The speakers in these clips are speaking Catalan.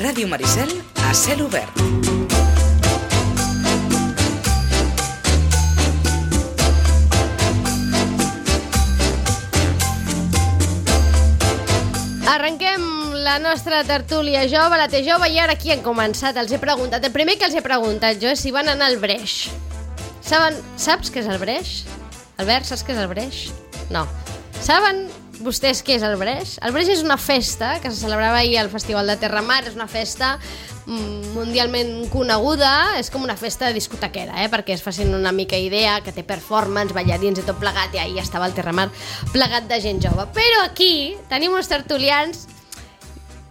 Ràdio Maricel a cel obert. Arrenquem la nostra tertúlia jove, la té jove, i ara aquí han començat. Els he preguntat, el primer que els he preguntat jo és si van anar al breix. Saps què és el breix? Albert, saps què és el breix? No. Saben vostès què és el breix? El breix és una festa que se celebrava ahir al Festival de Terramar. És una festa mundialment coneguda, és com una festa de discotequera, perquè es facin una mica idea, que té performance, ballarins i tot plegat, i ahir estava el Terramar plegat de gent jove. Però aquí tenim uns tertulians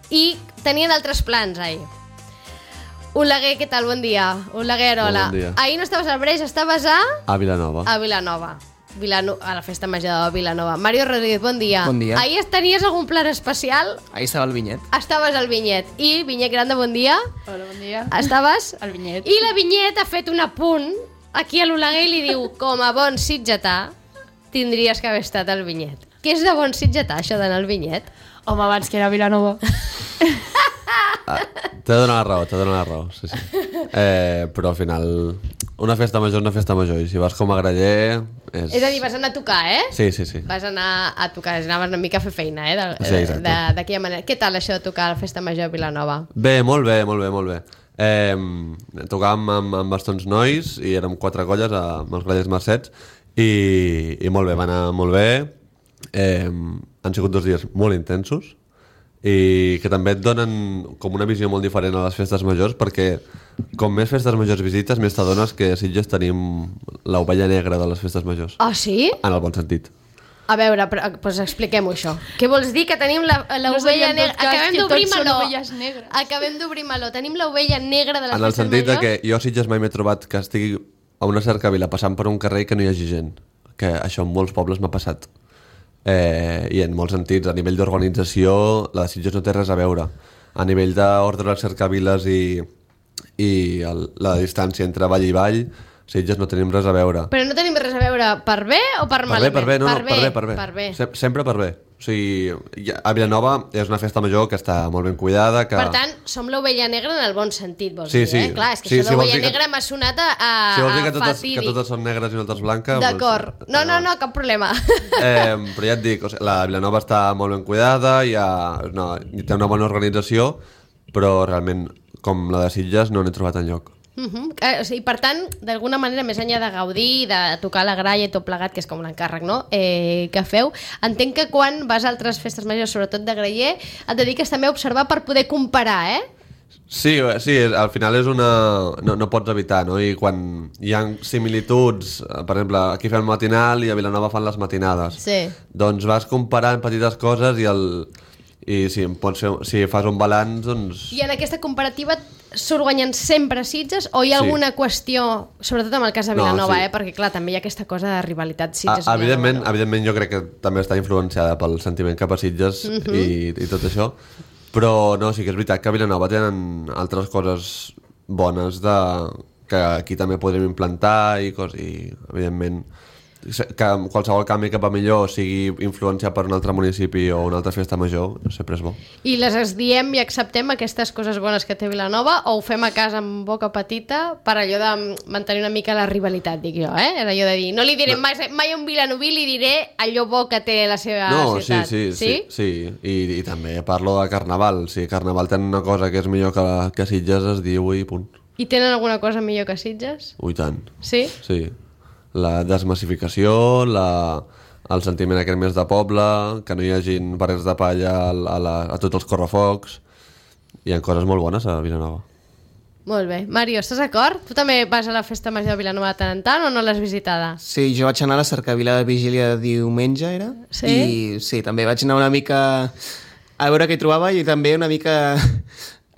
i tenien altres plans ahir. Oleguer, què tal? Bon dia. Oleguer Arola. Bon dia. Ahir no estaves al Breix, estaves a Vilanova. A Vilanova. A la festa major de Vilanova. Mario Rodríguez, bon dia. Bon dia. Ahir tenies algun plan especial? Ahí estava el vinyet. Estaves al Vinyet. I Vinyet Grande, bon dia. Hola, bon dia. Estaves? El Vinyet. I la Vinyet ha fet un apunt aquí a l'Oleguer i li diu: com a bon sitgetà tindries que haver estat al Vinyet. Què és de bon sitgetà, això d'anar al Vinyet? Home, abans que era a Vilanova. T'he de donar la raó, sí. Però al final una festa major és una festa major, i si vas com a graller És a dir, vas anar a tocar, Sí. Vas anar a tocar, anaves una mica a fer feina, Sí, exacte. d'aquella manera. Què tal això de tocar a la festa major a Vilanova? Bé, molt bé. Tocàvem amb bastants nois i érem 4 colles amb els grallers Mercets i molt bé, va anar molt bé. Han sigut 2 dies molt intensos i que també et donen com una visió molt diferent a les festes majors, perquè com més festes majors visites, més t'adones que a Sitges tenim l'ovella negra de les festes majors. Ah, sí? En el bon sentit. A veure, doncs expliquem-ho, això. Què vols dir que tenim l'ovella negra? Acabem d'obrir meló. Acabem d'obrir meló. Tenim l'ovella negra de les festes majors? En el sentit de que jo a Sitges mai m'he trobat que estigui a una cercavila passant per un carrer i que no hi hagi gent. Que això en molts pobles m'ha passat. I en molts sentits, a nivell d'organització la de Sitges no té res a veure. A nivell d'ordre de cercaviles i la distància entre vall i vall, Sitges no tenim res a veure. Però no tenim res a veure per bé o per malament? Per bé. Sempre per bé. O sigui, a Vilanova és una festa major que està molt ben cuidada. Per tant, som l'ovella negra en el bon sentit, vols dir, eh? Clar, és que això d'ovella negra m'ha sonat a si vols dir fatídic. que totes són negres i nosaltres blanques... D'acord. No, cap problema. Però ja et dic, la Vilanova està molt ben cuidada, té una bona organització, però realment, com la de Sitges, no n'he trobat enlloc. I per tant, d'alguna manera, més enllà de gaudir, de tocar la gralla i tot plegat, que és com un encàrrec, no? Que feu, entenc que quan vas a altres festes majors, sobretot de graller, et dediques també a observar per poder comparar, Sí, al final és no pots evitar, no? I quan hi ha similituds, per exemple, aquí fem el matinal i a Vilanova fan les matinades, doncs vas comparant petites coses i si fas un balanç, doncs... I en aquesta comparativa surt guanyant sempre Sitges o hi ha alguna qüestió, sobretot en el cas de Vilanova, perquè clar, també hi ha aquesta cosa de rivalitat Sitges-Vilanova. Evidentment jo crec que també està influenciada pel sentiment cap a Sitges i tot això, però no, sí que és veritat que a Vilanova tenen altres coses bones que aquí també podrem implantar i evidentment que qualsevol canvi cap a millor sigui influenciat per un altre municipi o una altra festa major, sempre és bo. I les diem i acceptem aquestes coses bones que té Vilanova o ho fem a casa amb boca petita per allò de mantenir una mica la rivalitat, dic jo, Allò de dir, no li diré mai a un vilanoví, li diré allò bo que té la seva ciutat. Sí. I també parlo de Carnaval. Si Carnaval té una cosa que és millor que Sitges, es diu i punt. I tenen alguna cosa millor que Sitges? Ui, tant. Sí? Sí. La desmassificació, el sentiment aquest més de poble, que no hi hagi parets de palla a tots els correfocs. Hi ha coses molt bones a Vilanova. Molt bé. Mario, estàs d'acord? Tu també vas a la festa major de Vilanova de tant en tant o no l'has visitada? Sí, jo vaig anar a la cercavila de vigília de diumenge, era? Sí? I sí, també vaig anar una mica a veure què hi trobava i també una mica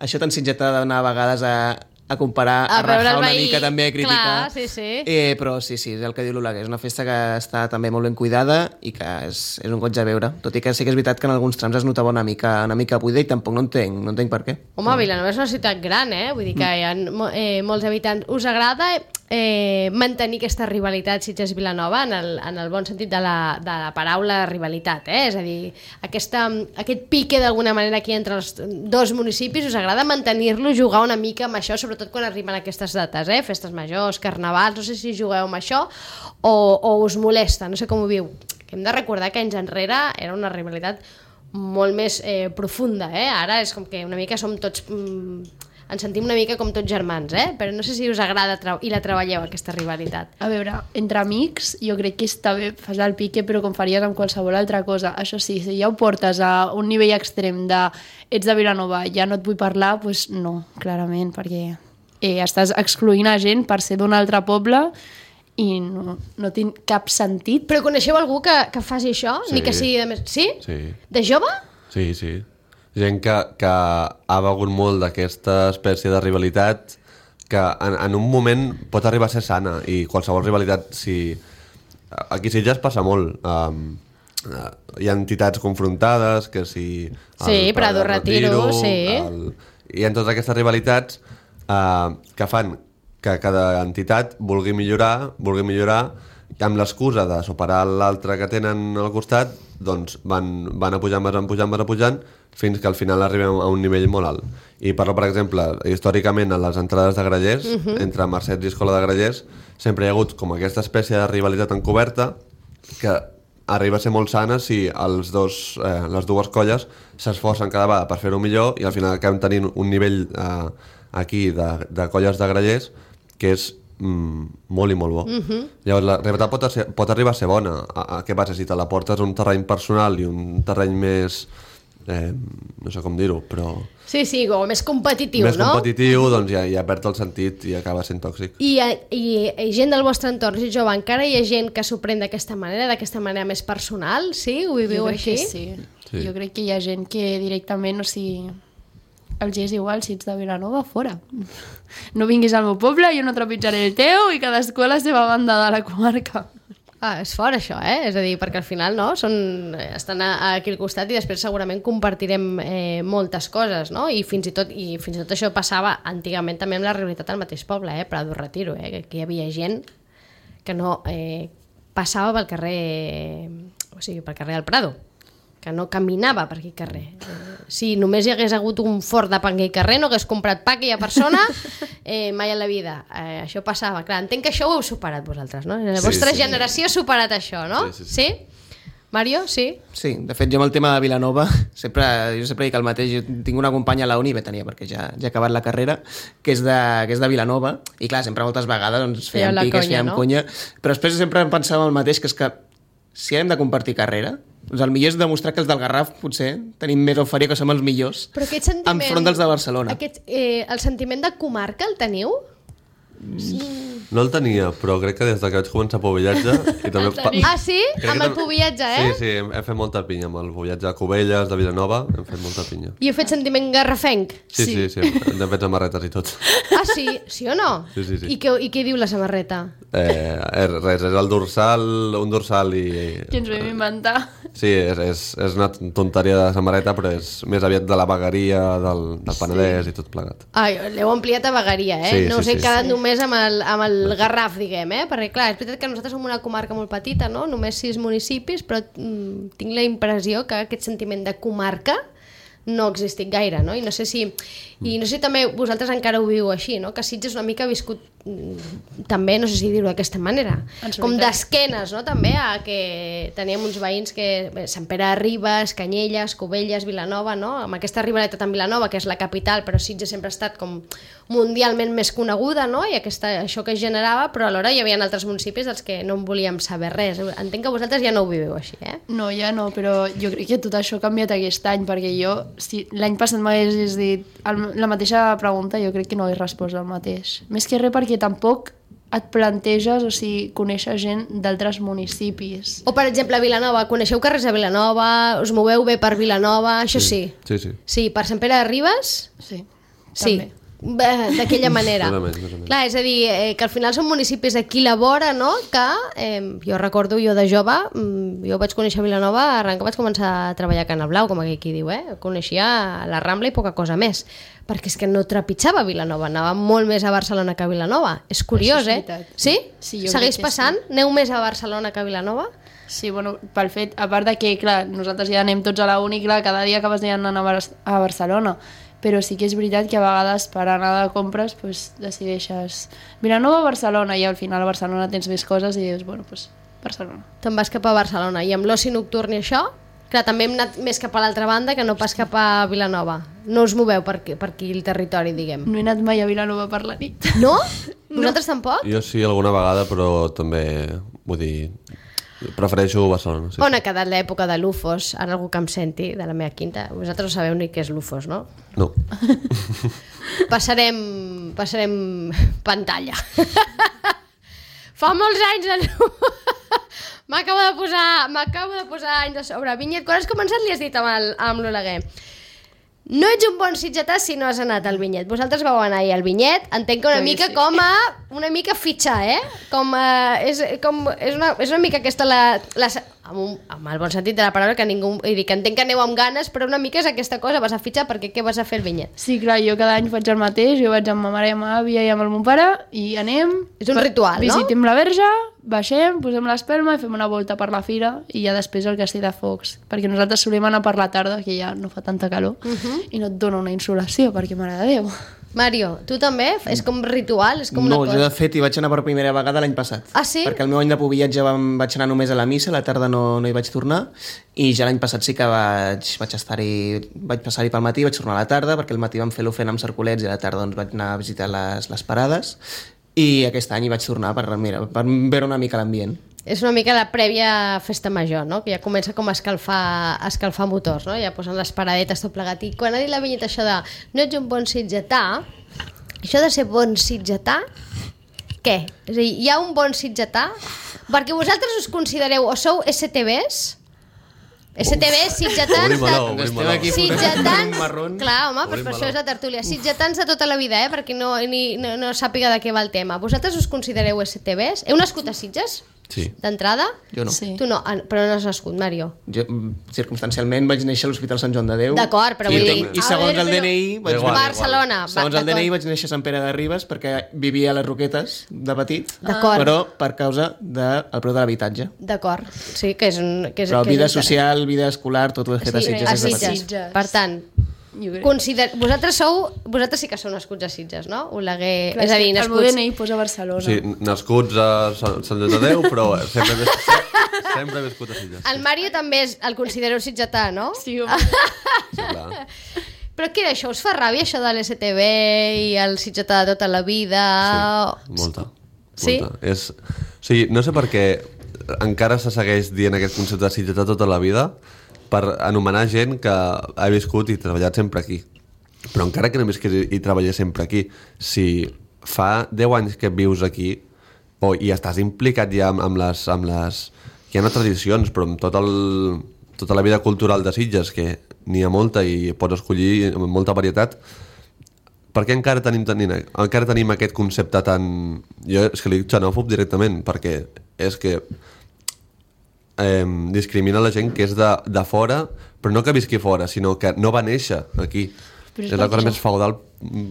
això tan sitgetà d'anar a vegades a a comparar, A a veure rajar el una veí. mica també, a criticar. Clar, sí. Però sí, és el que diu l'Oleguer, és una festa que està també molt ben cuidada i que és un goig a veure, tot i que sí que és veritat que en alguns trams es notava una mica buida i tampoc no entenc per què. Home, Vilanova és una ciutat gran, vull dir que hi ha molts habitants. Us agrada mantenir aquesta rivalitat Sitges-Vilanova en el bon sentit de la paraula rivalitat, és a dir, aquest pique d'alguna manera aquí entre els dos municipis, us agrada mantenir-lo, jugar una mica amb això, sobretot quan arriben aquestes dates, festes majors, carnavals, no sé si jugueu amb això o us molesta, no sé com ho viu. Que hem de recordar que anys enrere era una rivalitat molt més profunda, ara és com que una mica som tots... ens sentim una mica com tots germans, però no sé si us agrada i la treballeu, aquesta rivalitat. A veure, entre amics jo crec que està bé, fas el pique, però com faries amb qualsevol altra cosa. Això sí, si ja ho portes a un nivell extrem de ets de Vilanova, ja no et vull parlar, doncs no, clarament, perquè estàs excloent a gent per ser d'un altre poble i no té cap sentit. Però coneixeu algú que faci això? Sí. Ni que sigui de més... Sí? Sí. De jove? Sí. Gent que ha begut molt d'aquesta espècie de rivalitat que en un moment pot arribar a ser sana i qualsevol rivalitat, si... Aquí a Sitges passa molt. Hi ha entitats confrontades, que si... Sí, Prado Retiro, sí. Hi ha totes aquestes rivalitats que fan que cada entitat vulgui millorar amb l'excusa de superar l'altre que tenen al costat, doncs van apujant fins que al final arribem a un nivell molt alt. I parlo, per exemple, històricament a les entrades de Grallers, entre Mercets i Escola de Grallers, sempre hi ha hagut com aquesta espècie de rivalitat encoberta que arriba a ser molt sana si les dues colles s'esforcen cada vegada per fer-ho millor i al final acabem tenint un nivell aquí de colles de Grallers que és molt i molt bo. Llavors la rivalitat pot arribar a ser bona. Què passa si te la portes a un terreny personal i un terreny més no sé com dir-ho, però... Sí, o més competitiu, més no? Més competitiu, doncs ja perd el sentit i acaba sent tòxic. I gent del vostre entorn, si jove, encara hi ha gent que s'ho pren d'aquesta manera més personal, sí? Ho viviu així? Sí. Jo crec que hi ha gent que directament, o sigui, els és igual si ets de Vilanova, fora. No vinguis al meu poble, jo no trepitjaré el teu i cadascú a la seva banda de la comarca. És fort això, és a dir, perquè al final estan aquí al costat i després segurament compartirem moltes coses, no? I fins i tot això passava antigament també amb la realitat al mateix poble, Prado Retiro, que aquí hi havia gent que no passava pel carrer, o sigui, pel carrer del Prado, que no caminava per aquell carrer. Si només hi hagués hagut un fort de pa en aquell carrer, no hagués comprat pa aquella persona mai en la vida. Això passava. Clar, entenc que això ho heu superat vosaltres, no? La vostra generació ha superat això, no? Sí. Mario, sí? Sí, de fet jo amb el tema de Vilanova jo sempre dic el mateix. Jo tinc una companya a la uni, tenia perquè ja ha acabat la carrera, que és de Vilanova i clar, sempre moltes vegades doncs, fèiem piques, fèiem conya, però després sempre em pensava el mateix, que és que si hem de compartir carrera, doncs el millor és demostrar que els del Garraf potser tenim més oferia, que som els millors enfront dels de Barcelona. El sentiment de comarca el teniu? No el tenia, però crec que des que vaig començar a pobillatge i també... Ah, sí? Amb el pobillatge, Sí, hem fet molta pinya amb el pobillatge de Cubelles, de Vilanova, hem fet molta pinya. I heu fet sentiment garrafenc? Sí, hem fet samarretes i tot. Ah, sí? Sí o no? Sí. I què diu la samarreta? Res, és el dorsal, un dorsal i... Que ens vam inventar. Sí, és una tonteria de samarreta, però és més aviat de la vegueria, del Penedès i tot plegat. L'heu ampliat a vegueria, no us he quedat només amb el Garraf, diguem, perquè clar, és veritat que nosaltres som una comarca molt petita, no? Només 6 municipis, però tinc la impressió que aquest sentiment de comarca no ha existit gaire, no? I no sé si també vosaltres encara ho viu així, no? Que Sitges una mica ha viscut també, no sé si dir-ho d'aquesta manera, com d'esquenes, no? També a que teníem uns veïns que Sant Pere de Ribes, Canyelles, Cubelles, Vilanova, no? Amb aquesta rivalitat amb Vilanova, que és la capital, però Sitges sempre ha estat com mundialment més coneguda, no? I això que es generava, però alhora hi havia altres municipis dels que no en volíem saber res. Entenc que vosaltres ja no ho viveu així, No, ja no, però jo crec que tot això ha canviat aquest any, perquè jo, si l'any passat m'haguessis dit la mateixa pregunta, jo crec que no hagués respost el mateix. Més que res perquè tampoc et planteges, o sigui, conèixer gent d'altres municipis. O, per exemple, a Vilanova, coneixeu carrers a Vilanova, us moveu bé per Vilanova, això sí? Sí. Sí, per Sant Pere de Ribes? Sí, sí. també. d'aquella manera. Clar, és a dir, que al final són municipis aquí a la vora, no? Que jo recordo, jo de jove, jo vaig conèixer Vilanova arran que vaig començar a treballar a Cana Blau, com aquí diu, coneixia la Rambla i poca cosa més, perquè és que no trepitjava Vilanova, anava molt més a Barcelona que a Vilanova. És curiós, Sí? Segueix passant? Aneu més a Barcelona que a Vilanova? Sí, bueno, pel fet, a part de que, clar, nosaltres ja anem tots a la uni, clar, cada dia acabes anant a Barcelona, però sí que és veritat que a vegades per anar de compres pues, decideixes Vilanova o Barcelona, i al final a Barcelona tens més coses i dius, bueno, pues Barcelona. Te'n vas cap a Barcelona, i amb l'oci nocturn i això, clar, també hem anat més cap a l'altra banda que no pas cap a Vilanova. No us moveu per aquí el territori, diguem. No he anat mai a Vilanova per la nit. No? Vosaltres tampoc? Jo sí, alguna vegada, però també, vull dir, prefereixo Barcelona. Sí. On ha quedat l'època de l'UFOS? Ara algú que em senti de la meva quinta. Vosaltres no sabeu ni què és l'UFOS, no? No. Passarem pantalla. Fa molts anys de m'acabo de posar anys a sobre. Vinyet, quan has començat li has dit amb l'Oleguer. No ets un bon sitgetà si no has anat al Vinyet. Vosaltres vau anar al Vinyet, entenc que una mica sí. Com a una mica fitxar, és una mica aquesta amb el bon sentit de la paraula, que entenc que aneu amb ganes, però una mica és aquesta cosa, vas a fitxar perquè què vas a fer al Vinyet? Sí, clar, jo cada any faig el mateix, jo vaig amb ma mare i amb ma àvia i amb el meu pare i anem... És un ritual, no? Visitem la verge, baixem, posem l'espelma i fem una volta per la fira i ja després el castell de focs, perquè nosaltres solem anar per la tarda, que ja no fa tanta calor, i no et dona una insolació, perquè mare de Déu. Mario, tu també? És com ritual? És com una cosa? Jo de fet hi vaig anar per primera vegada l'any passat. Ah, sí? Perquè el meu any de pobillatge vaig anar només a la missa, a la tarda no hi vaig tornar, i ja l'any passat sí que vaig passar-hi pel matí, vaig tornar a la tarda, perquè al matí vam fer l'ofrena amb cercolets i a la tarda doncs, vaig anar a visitar les parades, i aquest any hi vaig tornar per veure una mica l'ambient. És una mica la prèvia festa major, no? Que ja comença com a escalfar motors, no? Ja posen les paradetes tot plegat. I quan ha dit la Vinyet això de no ets un bon sitgetà, això de ser bon sitgetà, què? És a dir, hi ha un bon sitgetà? Perquè vosaltres us considereu o sou STBs? STBs, sitgetans... Sitgetans... Clar, home, però per això és la tertúlia. Sitgetans de tota la vida, perquè no sàpiga de què va el tema. Vosaltres us considereu STBs? Heu nascut a Sitges? Sí. D'entrada? Jo no. Sí. Tu no, però no has nascut, Mario. Jo, circumstancialment, vaig néixer a l'Hospital Sant Joan de Déu. D'acord, però vull dir... I segons el DNI... Barcelona. Segons el DNI vaig néixer a Sant Pere de Ribes perquè vivia a les Roquetes de petit, però per causa del preu de l'habitatge. D'acord, sí, que és un... Però vida social, vida escolar, tot ho he fet a Sitges. A Sitges. Per tant, vosaltres sí que sou nascuts a Sitges, no? Oleguer, és a dir, nascuts... El meu DNI posa Barcelona. Sí, nascuts a Sant Joan de Déu, però sempre he viscut a Sitges. El Mario també el considereu sitgetà, no? Sí, home. Sí, clar. Però què, això us fa ràbia, això de l'STB i el sitgetà de tota la vida? Sí, molta. Sí? O sigui, no sé per què encara se segueix dient aquest concepte de sitgetà tota la vida, per anomenar gent que ha viscut i treballat sempre aquí. Però encara que no visqués i treballés sempre aquí, si fa 10 anys que vius aquí i estàs implicat ja amb les... Hi ha tradicions, però amb tota la vida cultural de Sitges, que n'hi ha molta i pots escollir amb molta varietat, per què encara tenim aquest concepte tan... Jo és que li dic xenòfob directament, perquè és que discrimina la gent que és de fora, però no que visqui fora, sinó que no va néixer aquí. És la cosa més feudal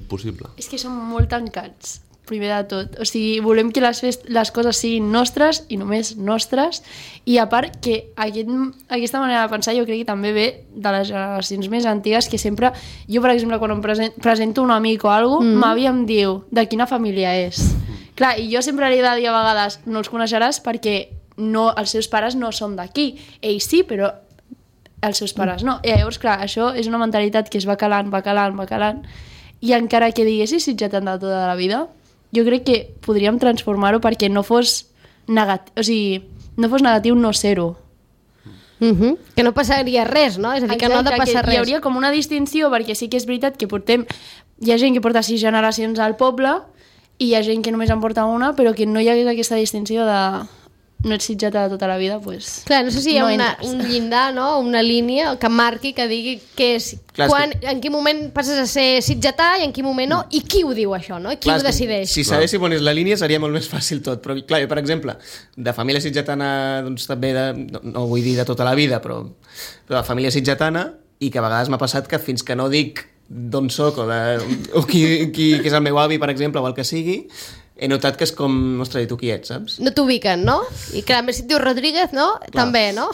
possible. És que som molt tancats, primer de tot. O sigui, volem que les coses siguin nostres i només nostres, i a part que aquesta manera de pensar jo crec que també ve de les generacions més antigues, que sempre, jo per exemple quan em presento un amic o alguna cosa, m'àvia em diu de quina família és. Clar, i jo sempre li he de dir a vegades no els coneixeràs perquè els seus pares no són d'aquí. Ells sí, però els seus pares no. I llavors, clar, això és una mentalitat que es va calant, i encara que diguessis sitgetà de tota la vida, jo crec que podríem transformar-ho perquè no fos negatiu, o sigui, no fos negatiu no ser-ho. Que no passaria res, no? És a dir, que no ha de passar res. Hi hauria com una distinció, perquè sí que és veritat que hi ha gent que porta 6 generacions al poble i hi ha gent que només en porta una, però que no hi hagués aquesta distinció de no ets sitjata de tota la vida, doncs... Clar, no sé si hi ha entres. un llindar, no? Una línia que marqui, que digui què és, en quin moment passes a ser sitjatà i en quin moment no, i qui ho diu això, no? I qui ho decideix. Si sabéssim on és la línia seria molt més fàcil tot, però clar, jo, per exemple, de família sitjatana, doncs també, no vull dir de tota la vida, però de família sitjatana, i que a vegades m'ha passat que fins que no dic d'on soc o qui és el meu avi, per exemple, o el que sigui, he notat que és com, ostres, i tu qui ets, saps? No t'ubiquen, no? I clar, més si et dius Rodríguez, no? Clar. També, no?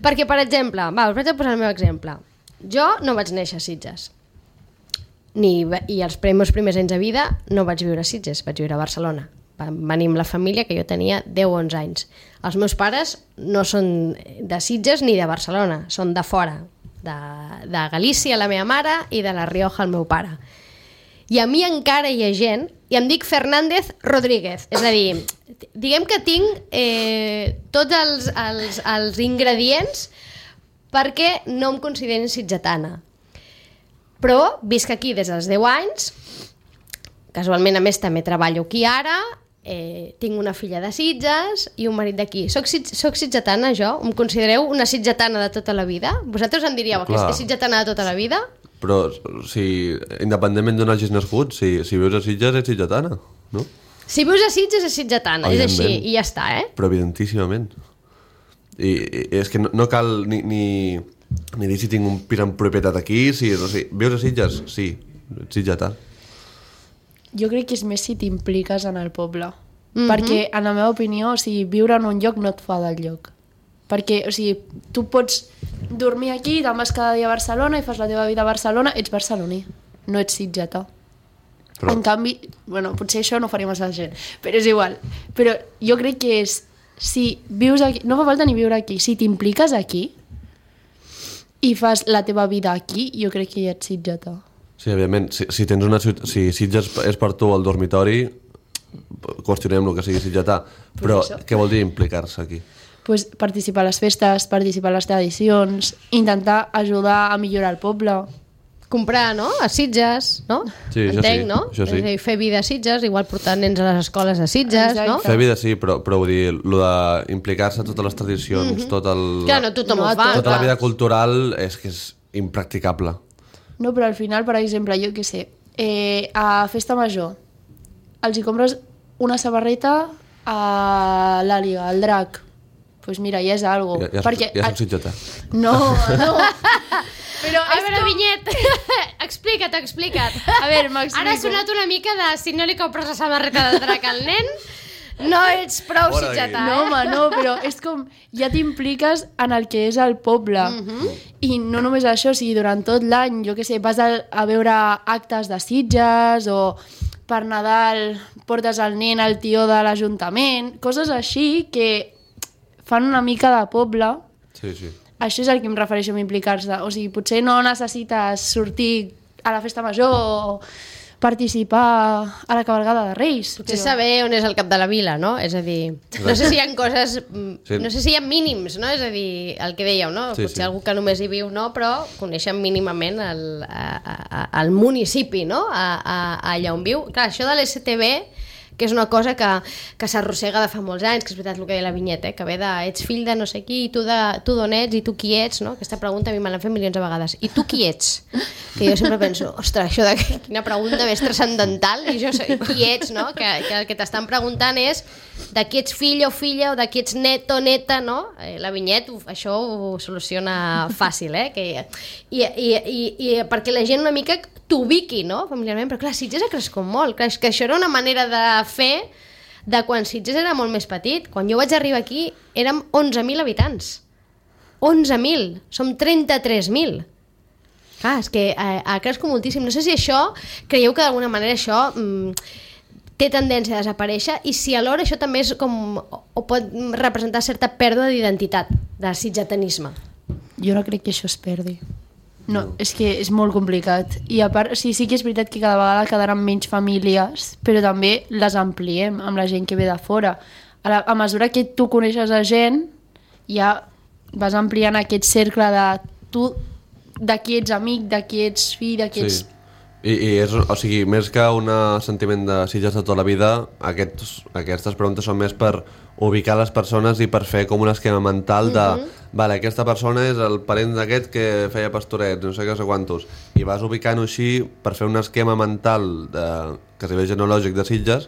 Perquè, per exemple, us vaig a posar el meu exemple. Jo no vaig néixer a Sitges. I els meus primers anys de vida no vaig viure a Sitges, vaig viure a Barcelona. Vam venir amb la família, que jo tenia 10 o 11 anys. Els meus pares no són de Sitges ni de Barcelona, són de fora, de Galícia, la meva mare, i de la Rioja, el meu pare. I a mi encara hi ha gent, i em dic Fernández Rodríguez, és a dir, diguem que tinc tots els ingredients perquè no em considerin sitgetana. Però visc aquí des dels 10 anys, casualment a més també treballo aquí ara, tinc una filla de Sitges i un marit d'aquí. Soc sitgetana jo? Em considereu una sitgetana de tota la vida? Vosaltres em diríeu que és sitgetana de tota la vida? Però, independentment d'on hagis nascut, si vius a Sitges ets sitgetana, no? Si vius a Sitges és sitgetana, és així, i ja està, Però evidentíssimament. I és que no cal ni dir si tinc un pis en propietat aquí, vius a Sitges? Sí, ets sitgetà. Jo crec que és més si t'impliques en el poble. Perquè, en la meva opinió, viure en un lloc no et fa del lloc. Perquè, tu pots dormir aquí, te'n vas cada dia a Barcelona i fas la teva vida a Barcelona, ets barceloní, no ets sitgetà. Però... En canvi, potser això no ho faria massa gent, però és igual. Però jo crec que és, si vius aquí, no fa falta ni viure aquí, si t'impliques aquí i fas la teva vida aquí, jo crec que ja ets sitgetà. Sí, evidentment, si Sitges és per tu el dormitori, qüestionem el que sigui sitgetà, però què vol dir implicar-se aquí? Pues participar a les festes, participar a les tradicions, intentar ajudar a millorar el poble. Comprar, no? A Sitges, no? Sí, entenc, no? Això sí. És a dir, fer vida a Sitges, igual portar nens a les escoles a Sitges, no? Fer vida sí, però vull dir, el d'implicar-se en totes les tradicions, tot el... Clar, no tothom ho fa. Tota la vida cultural és que és impracticable. No, però al final, per exemple, jo què sé, a Festa Major els hi compres una samarreta a l'Àliga, al Drac. Doncs mira, ja és algo. Ja soc sitgetà. No. Però, a veure, Vinyet, explica't. A veure, m'explico. Ara ha sonat una mica de si no li compres la samarreta del Drac al nen, no ets prou sitgetà. No, home, no, però és com... Ja t'impliques en el que és el poble. I no només això, durant tot l'any, jo què sé, vas a veure actes de Sitges o per Nadal portes el nen al tió de l'Ajuntament, coses així que fan una mica de poble. Sí. Això és el que em refereixo amb implicar-se. O sigui, potser no necessites sortir a la festa major o participar a la cabalgada de Reis. Potser saber on és el cap de la vila, no? És a dir, no sé si hi ha coses... No sé si hi ha mínims, no? És a dir, el que dèieu, no? Potser algú que només hi viu, no? Però coneixen mínimament el municipi, no? Allà on viu. Clar, això de l'STB, que és una cosa que s'arrossega de fa molts anys, que és veritat el que deia la Vinyeta, que ve de ets fill de no sé qui, i tu d'on ets, i tu qui ets, no? Aquesta pregunta a mi me l'han fet milions de vegades. I tu qui ets? Que jo sempre penso, ostres, això de quina pregunta més transcendental, i jo sé qui ets, no? Que el que t'estan preguntant és de qui ets fill o filla, o de qui ets net o neta, no? La Vinyet això ho soluciona fàcil, I perquè la gent una mica t'ubiqui, no? Familiarment, però clar, Sitges ha crescut molt, clar, que això era una manera de fer de quan Sitges era molt més petit. Quan jo vaig arribar aquí érem 11.000 habitants. 11.000, som 33.000. Clar, és que ha crescut moltíssim. No sé si això, creieu que d'alguna manera això té tendència a desaparèixer i si alhora això també és com o pot representar certa pèrdua d'identitat, de sitgetanisme. Jo no crec que això es perdi. No, és que és molt complicat. I a part, sí que és veritat que cada vegada quedaran menys famílies, però també les ampliem amb la gent que ve de fora. A mesura que tu coneixes a gent, ja vas ampliant aquest cercle de tu, de qui ets amic, de qui ets fill, de qui ets I és, o sigui, més que un sentiment de Sitges de tota la vida, aquestes preguntes són més per ubicar les persones i per fer com un esquema mental de vale, aquesta persona és el parent d'aquest que feia pastorets, no sé què, no sé quantos, i vas ubicant-ho així per fer un esquema mental que es diu genològic de Sitges,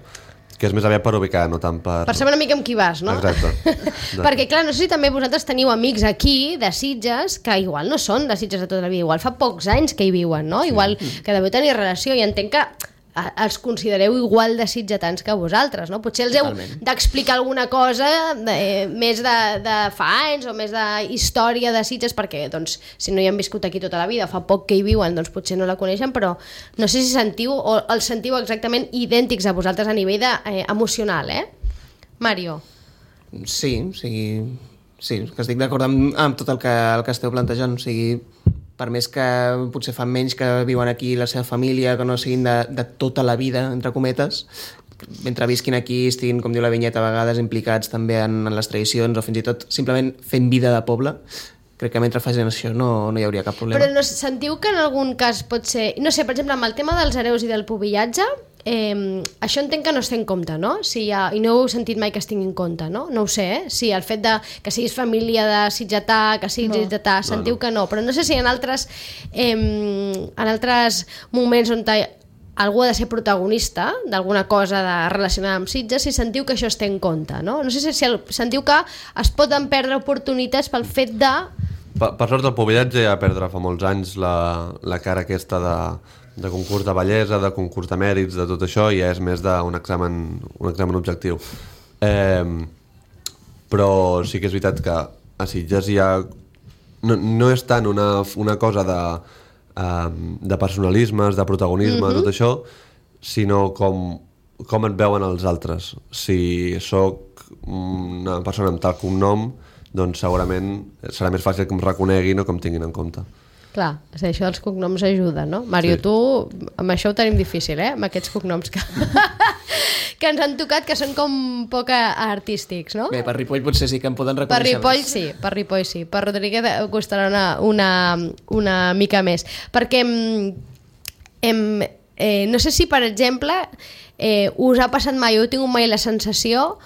que és més aviat per ubicar, no tant per... Per saber una mica amb qui vas, no? Exacte. Perquè, clar, no sé si també vosaltres teniu amics aquí, de Sitges, que igual no són de Sitges de tota la vida, igual fa pocs anys que hi viuen, no? Sí. Igual que deveu tenir relació, i entenc que els considereu igual de sitgetans que vosaltres, no? Potser els heu d'explicar alguna cosa més de fa anys o més de història de Sitges, perquè doncs, si no hi han viscut aquí tota la vida, fa poc que hi viuen, doncs potser no la coneixen, però no sé si sentiu o els sentiu exactament idèntics a vosaltres a nivell emocional, Mario? Sí, o sigui, sí, que estic d'acord amb tot el que esteu plantejant, o sigui, per més que potser fan menys que viuen aquí la seva família, que no siguin de tota la vida, entre cometes, mentre visquin aquí, estiguin, com diu la vinyeta, a vegades implicats també en les tradicions o fins i tot simplement fent vida de poble, crec que mentre facin això no hi hauria cap problema. Però no, sentiu que en algun cas pot ser... No sé, per exemple, amb el tema dels hereus i del pubillatge, això entenc que no es té en compte, no? I no heu sentit mai que es tingui en compte, no? No ho sé, Si el fet que siguis família de sitgetà, que siguis sitgetà, sentiu que no. Però no sé si en altres moments on algú ha de ser protagonista d'alguna cosa relacionada amb Sitges, si sentiu que això es té en compte, no? No sé si sentiu que es poden perdre oportunitats pel fet de... Per sort el pubillatge ja va perdre fa molts anys la cara aquesta de concurs de bellesa, de concurs de mèrits, de tot això, i és més d'un examen objectiu. Però sí que és veritat que a Sitges hi ha... No és tant una cosa de personalismes, de protagonisme, tot això, sinó com et veuen els altres. Si sóc una persona amb tal cognom, doncs segurament serà més fàcil que em reconeguin o que em tinguin en compte. Clar, això dels cognoms ajuda, no? Mario, tu, amb això ho tenim difícil, amb aquests cognoms que ens han tocat, que són com poc artístics, no? Bé, per Ripoll potser sí que em poden reconèixer per Ripoll sí. Per Rodríguez costarà una mica més. Perquè no sé si, per exemple, us ha passat mai, heu tingut mai la sensació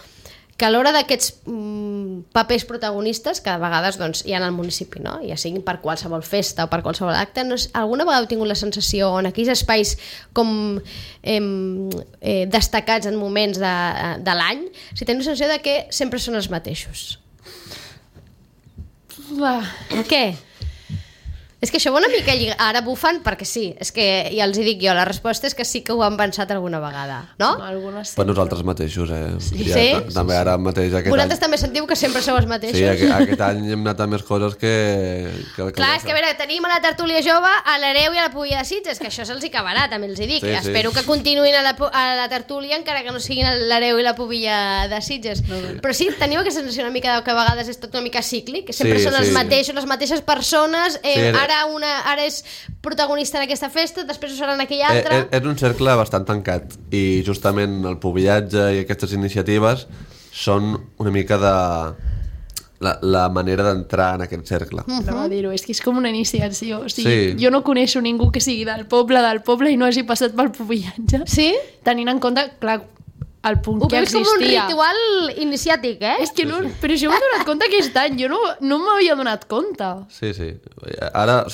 que a l'hora d'aquests papers protagonistes, que a vegades doncs, hi ha al municipi, no? Ja siguin per qualsevol festa o per qualsevol acte, alguna vegada heu tingut la sensació en aquells espais com destacats en moments de l'any, si teniu la sensació de que sempre són els mateixos? Què? És que això va una mica lligat. Ara bufen perquè sí, és que ja els hi dic jo, la resposta és que sí que ho han pensat alguna vegada, no? Per nosaltres mateixos, Sí? També ara mateix aquest vosaltres també sentiu que sempre sou els mateixos? Sí, aquest any hem anat a més coses que clar, és que a veure, tenim a la tertúlia jove a l'hereu i a la pubilla de Sitges, que això se'ls hi acabarà, també els hi dic. Espero que continuïn a la tertúlia encara que no siguin l'hereu i la pubilla de Sitges. Però sí, teniu aquesta sensació una mica que a vegades és tot una mica cíclic, que sempre són els mateixos, les mateixes persones, ara és protagonista en aquesta festa, després ho serà en aquella altra. És un cercle bastant tancat i justament el pubillatge i aquestes iniciatives són una mica de la manera d'entrar en aquest cercle. Anava a dir-ho, és que és com una iniciació. O sigui, jo no coneixo ningú que sigui del poble i no hagi passat pel pubillatge. Sí? Tenint en compte, clar, el punt que existia. Com un ritual iniciàtic, És que no, però això m'he donat compte aquest any, jo no m'havia donat compte. Sí. Ara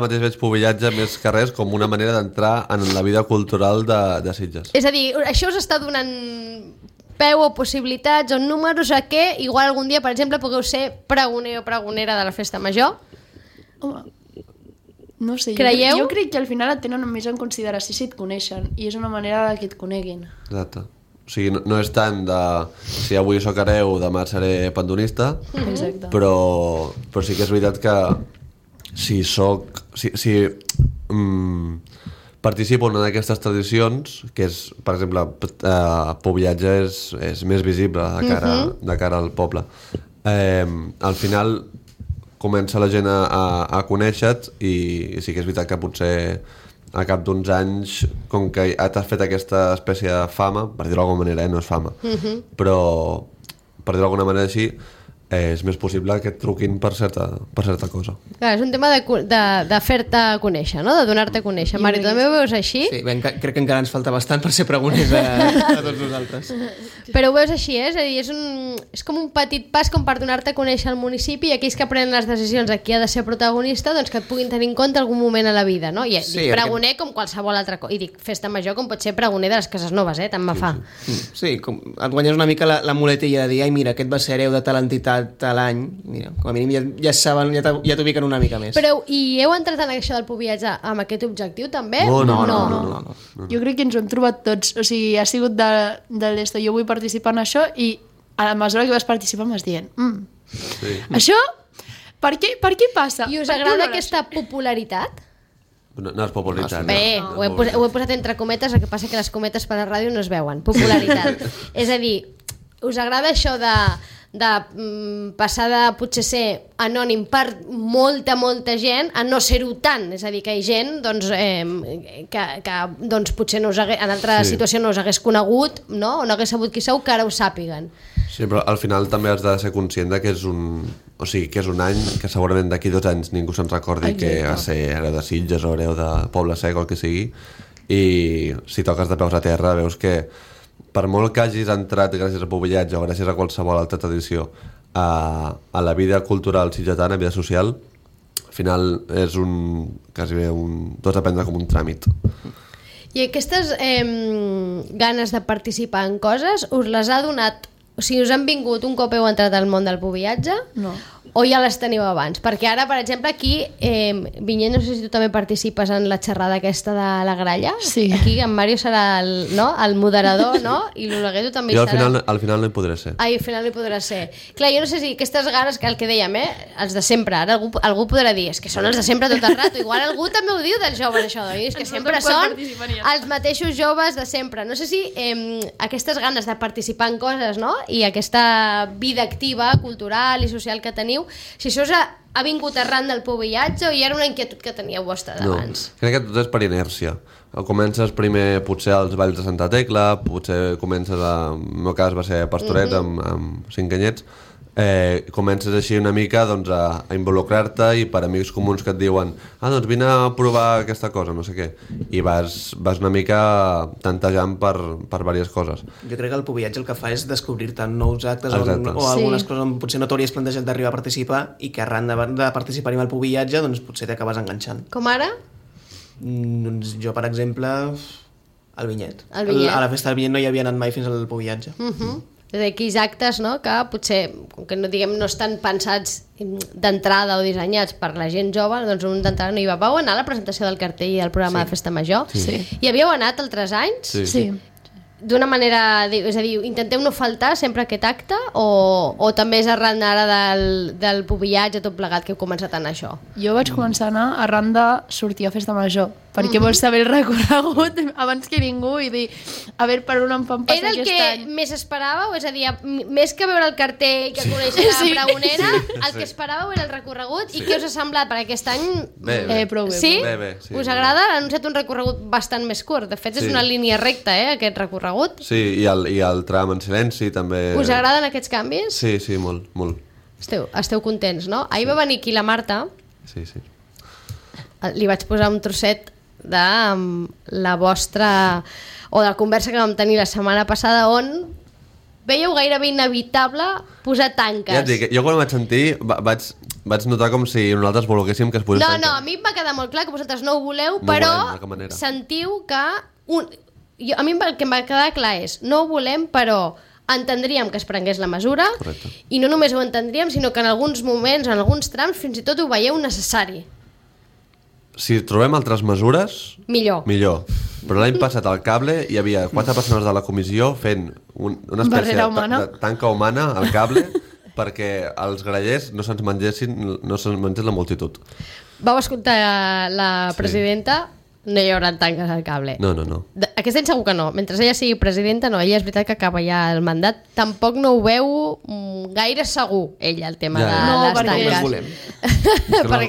mateix veig pubillatge més que res com una manera d'entrar en la vida cultural de Sitges. És a dir, això us està donant peu o possibilitats o números a que igual algun dia, per exemple, pugueu ser pregoner o pregonera de la festa major? Home, no sé, creieu? Jo crec que al final et tenen més en consideració si et coneixen i és una manera que et coneguin. Exacte. O sigui, no és tant de si avui soc hereu, demà seré pandonista, però sí que és veritat que si participo en una d'aquestes tradicions, que és, per exemple, pubillatge és més visible de cara al poble. Al final comença la gent a conèixer-te i sí que és veritat que potser a cap d'uns anys, com que t'has fet aquesta espècie de fama, per dir-ho d'alguna manera, no és fama, però per dir-ho d'alguna manera així, és més possible que et truquin per certa cosa. Clar, és un tema de fer-te conèixer, no? De donar-te a conèixer. Mari, tu també ho veus així? Sí, crec que encara ens falta bastant per ser pregoners a tots nosaltres. Però ho veus així, és a dir, és com un petit pas com per donar-te a conèixer al municipi i aquells que prenen les decisions a qui ha de ser protagonista, doncs que et puguin tenir en compte algun moment a la vida, no? I dic pregoner com qualsevol altra cosa. I dic festa major com pot ser pregoner de les cases noves, tant me fa. Sí, com et guanyes una mica la muletilla de dir, ai, mira, aquest va ser hereu de tal entitat a l'any, mira, com a mínim ja saben, ja t'ubiquen una mica més. Però, i heu entrat en això del Pubiatge amb aquest objectiu també? No. Jo crec que ens ho hem trobat tots, o sigui, ha sigut de l'esto, jo vull participar en això i a la mesura que vas participar m'has dient això, per què passa? I us agrada aquesta popularitat? No és popularitat. Bé, ho he posat entre cometes, el que passa que les cometes per la ràdio no es veuen. Popularitat. És a dir, us agrada això de passar de potser ser anònim per molta gent a no ser-ho tant, és a dir, que hi ha gent que potser no en altra situació no us hagués conegut, no? O no hagués sabut qui sou, que ara ho sàpiguen. Sí, però al final també has de ser conscient que és un any que segurament d'aquí 2 anys ningú se'n recordi que va ser hereu de Sitges o hereu de Poble Sec o el que sigui, i si toques de peus a terra veus que per molt que hagis entrat gràcies a Pubiatge o gràcies a qualsevol altra tradició a la vida cultural sitgetana, a la vida social, al final és quasi bé tot a prendre com un tràmit. I aquestes ganes de participar en coses us les ha donat, o sigui, us han vingut un cop heu entrat al món del Pubiatge? No. O ja les teniu abans? Perquè ara, per exemple, aquí, Vinyet, no sé si tu també participes en la xerrada aquesta de la gralla. Sí. Aquí en Mario serà el moderador, no? I l'Oleguer tu també jo serà... al final no hi podré ser. Ai, al final no hi podrà ser. Clar, jo no sé si aquestes ganes, que el que dèiem, els de sempre, ara algú podrà dir, és que són els de sempre tot el rato. Igual algú també ho diu dels joves, això, és que sempre són els mateixos joves de sempre. No sé si aquestes ganes de participar en coses, no? I aquesta vida activa, cultural i social que teniu, si això ha vingut arran del Pubiatge o hi era una inquietud que teníeu vostra d'abans? No, crec que tot és per inèrcia. Comences primer potser als balls de Santa Tecla, potser comences en el meu cas va ser a Pastoret amb 5 anyets, comences així una mica doncs, a involucrar-te i per amics comuns que et diuen doncs vine a provar aquesta cosa, no sé què, i vas una mica tantejant per diverses coses. Jo crec que el Pubiatge el que fa és descobrir-te nous actes o algunes coses on potser no t'hauries plantejat d'arribar a participar i que arran de participar-hi amb el Pubiatge doncs potser t'acabes enganxant. Com ara? Doncs jo, per exemple, el Vinyet. A la festa del Vinyet no hi havia anat mai fins al Pubiatge. És a dir, aquells actes, no?, que potser, com que no estan pensats d'entrada o dissenyats per la gent jove, doncs un d'entrada no hi va. Vau anar a la presentació del cartell i al programa de Festa Major? Sí. I havíeu anat altres anys? Sí. D'una manera, és a dir, intenteu no faltar sempre aquest acte o també és arran ara del Pubiatge tot plegat que heu començat a anar a això? Jo vaig començar a anar arran de sortir a Festa Major, perquè vols saber el recorregut abans que ningú i dir, a veure per on em fan passar aquest any. Era el que més esperàveu? És a dir, més que veure el cartell que conèixer la pregonera, el que esperàveu era el recorregut i què us ha semblat per aquest any? Prou bé. Sí? Bé, sí. Us agrada? Han anunciat un recorregut bastant més curt. De fet, és una línia recta, aquest recorregut. Sí, i el tram en silenci també... Us agraden aquests canvis? Sí, molt. Esteu contents, no? Ahir va venir aquí la Marta. Sí. Li vaig posar un trosset de la vostra... o de la conversa que vam tenir la setmana passada on veieu gairebé inevitable posar tanques. Ja et dic, jo quan vaig sentir vaig notar com si nosaltres volguéssim que es posés tanques. No, a mi em va quedar molt clar que vosaltres no ho voleu, però sentiu que... a mi el que em va quedar clar és no ho volem, però entendríem que es prengués la mesura. Correcte. I no només ho entendríem, sinó que en alguns moments, en alguns trams, fins i tot ho veieu necessari. Si trobem altres mesures, millor. Però l'any passat al cable hi havia 4 persones de la comissió fent una espècie de tanca humana al cable perquè els grallers no se'ns mengés la multitud. Vau escoltar la presidenta? No hi haurà tanques al cable. No. Aquest any segur que no. Mentre ella sigui presidenta, no. Ella és veritat que acaba ja el mandat. Tampoc no ho veu gaire segur, ella, el tema de les tanques. No les volem.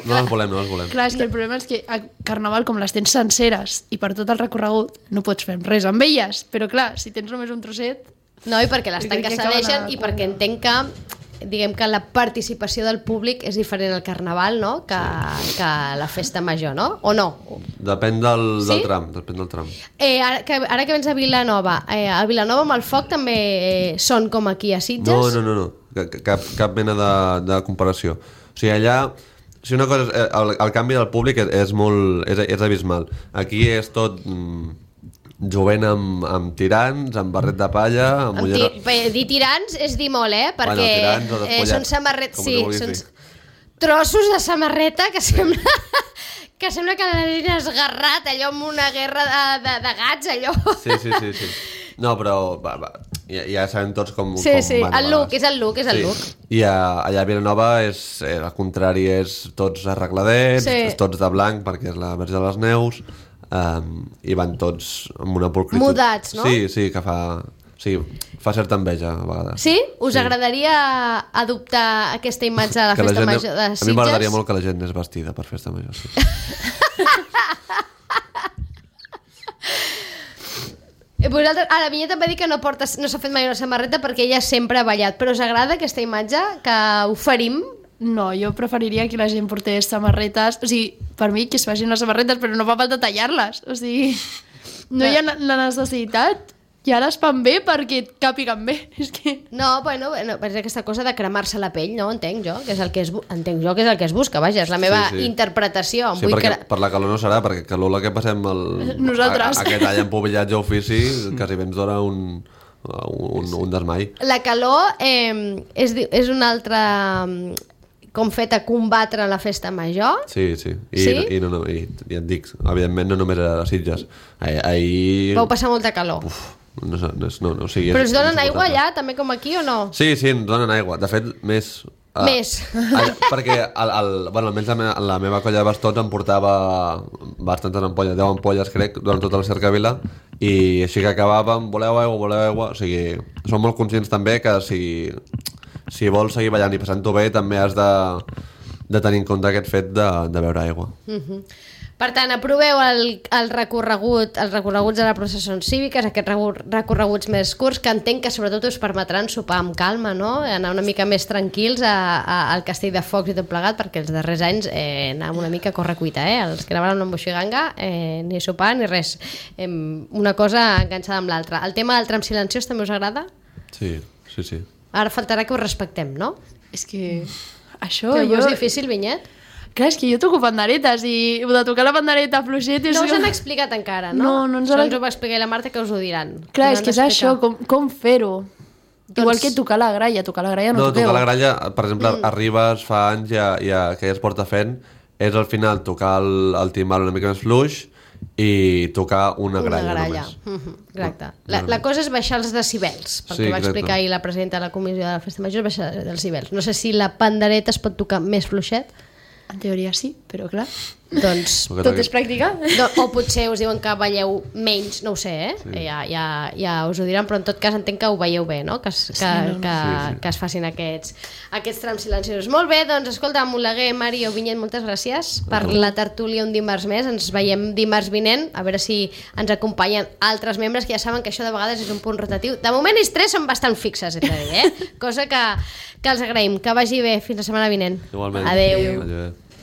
No les volem. Clar, és que el problema és que a Carnaval, com les tens senceres i per tot el recorregut, no pots fer res amb elles. Però clar, si tens només un trosset... No, i perquè les tanques cedeixen i perquè entenc que diguem que la participació del públic és diferent al Carnaval, no?, que la festa major, no? O no? Depèn del tram, depèn del tram. Ara que vens a Vilanova, a Vilanova amb el foc també són com aquí a Sitges? No. Cap mena de comparació. O sigui, allà... Si una cosa, el canvi del públic és abismal. Aquí és tot jovent amb tirants, amb barret de palla... Dir tirants és dir molt, perquè són samarretes... Sí, són trossos de samarreta que sembla... Que sembla que l'han esgarrat allò amb una guerra de gats, allò. Sí. No, però ja sabem tots com... Sí, el look, és el look. I allà a Vilanova al contrari, és tots arregladets, tots de blanc perquè és la Verge de les Neus, i van tots amb una pulcritud. Mudats, no? Sí, que fa... Sí, fa certa enveja a vegades. Sí? Us agradaria adoptar aquesta imatge de la festa major de Sitges? A mi m'agradaria molt que la gent anés vestida per festa major, sí. Vosaltres, la Vinyeta em va dir que no s'ha fet mai una samarreta perquè ella sempre ha ballat, però us agrada aquesta imatge que oferim? No, jo preferiria que la gent portés samarretes, o sigui, per mi que es facin les samarretes, però no fa falta tallar-les, o sigui, no hi ha la necessitat. I ara es fan bé perquè càpiguen bé. És que... No, és aquesta cosa de cremar-se la pell, no? Entenc jo que és el que es busca, vaja, és la meva interpretació. Sí, perquè per la calor no serà, perquè calor la que passem nosaltres. Aquest any en pobillatge ofici quasi bé ens dona un desmai. La calor és una altra... com fet a combatre la festa major. Sí. I ja et dic, evidentment no només a Sitges. Ahir... Vau passar molta calor. No, o sigui, però us donen aigua allà, també com aquí, o no? Sí, ens donen aigua. De fet, més... Perquè almenys la meva colla de bastons em portava bastantes ampolles, 10 ampolles crec, durant tota la cercavila, i així que acabàvem, voleu aigua, o sigui, som molt conscients també que si vols seguir ballant i passant-ho bé també has de tenir en compte aquest fet de beure aigua. Per tant, aproveu els recorreguts de la processó cíviques, aquests recorreguts més curts, que entenc que sobretot us permetran sopar amb calma, no? Anar una mica més tranquils al Castell de Focs i tot plegat, perquè els darrers anys anàvem una mica a correcuita, els que anaven amb Moixiganga, ni sopar ni res. Una cosa enganxada amb l'altra. El tema del tram silenciós també us agrada? Sí. Ara faltarà que us respectem, no? És que això... Que és difícil, Vinyet? Clar, és que jo toco panderetes i de tocar la pandereta fluixet... No us han explicat encara, no? No ens ho va explicar la Marta, que us ho diran. Clar, és que és això, com fer-ho. Igual que tocar la gralla no toqueu. Tocar la gralla, per exemple, arribes fa anys que ja es porta fent, és al final tocar el timbal una mica més fluix i tocar una gralla només. Exacte. La cosa és baixar els decibels, perquè va explicar ahir la presidenta de la comissió de la festa major, és baixar els decibels. No sé si la pandereta es pot tocar més fluixet. En teoria sí, però clar, doncs tot és pràctica. O potser us diuen que balleu menys, no ho sé, sí. Ja us ho diran, però en tot cas entenc que ho veieu bé, no? Que es facin aquests trams silenciosos. Molt bé, doncs escolta, Oleguer, Mari o Vinyet, moltes gràcies per la tertúlia un dimarts més. Ens veiem dimarts vinent, a veure si ens acompanyen altres membres, que ja saben que això de vegades és un punt rotatiu. De moment ells tres són bastant fixes, cosa que els agraïm. Que vagi bé, fins la setmana vinent. Igualment. Adéu.